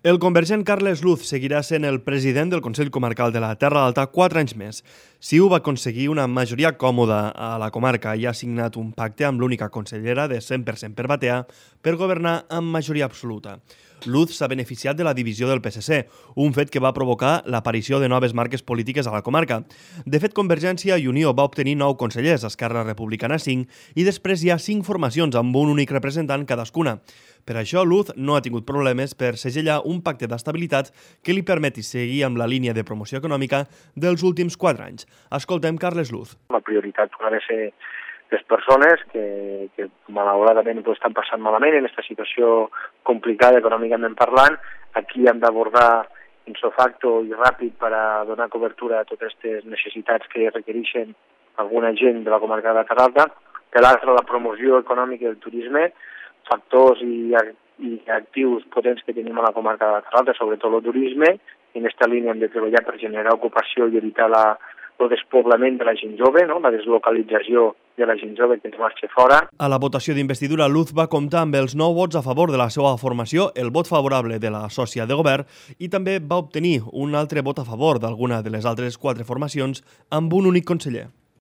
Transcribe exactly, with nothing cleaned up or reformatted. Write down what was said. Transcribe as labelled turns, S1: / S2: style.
S1: El convergent Carles Luz seguirà sent el president del Consell Comarcal de la Terra Alta quatre anys més. Ciu va aconseguir una majoria còmoda a la comarca i ha signat un pacte amb l'única consellera de cent per cent per Batea per governar amb majoria absoluta. Luz s'ha beneficiat de la divisió del P S C, un fet que va provocar l'aparició de noves marques polítiques a la comarca. De fet, Convergència i Unió va obtenir nou consellers, Esquerra Republicana cinc, i després hi ha cinc formacions amb un únic representant cadascuna. Per això, Luz no ha tingut problemes per segellar un pacte d'estabilitat que li permeti seguir amb la línia de promoció econòmica dels últims quatre anys. Escoltem Carles Luz.
S2: La prioritat ha de ser les persones que, que malauradament ho estan passant malament en aquesta situació complicada econòmicament parlant. Aquí hem d'abordar ipso facto i ràpid per a donar cobertura a totes aquestes necessitats que requereixen alguna gent de la comarca de la Terra Alta. Per l'altra, la promoció econòmica del turisme, factors i, i actius potents que tenim a la comarca de la Terra Alta, sobretot el turisme. En aquesta línia hem de treballar per generar ocupació i evitar la, el despoblament de la gent jove, no? La deslocalització de la gent jove que ens marxa fora.
S1: A la votació d'investidura, Luz va comptar amb els nou vots a favor de la seva formació, el vot favorable de la sòcia de govern i també va obtenir un altre vot a favor d'alguna de les altres quatre formacions amb un únic conseller.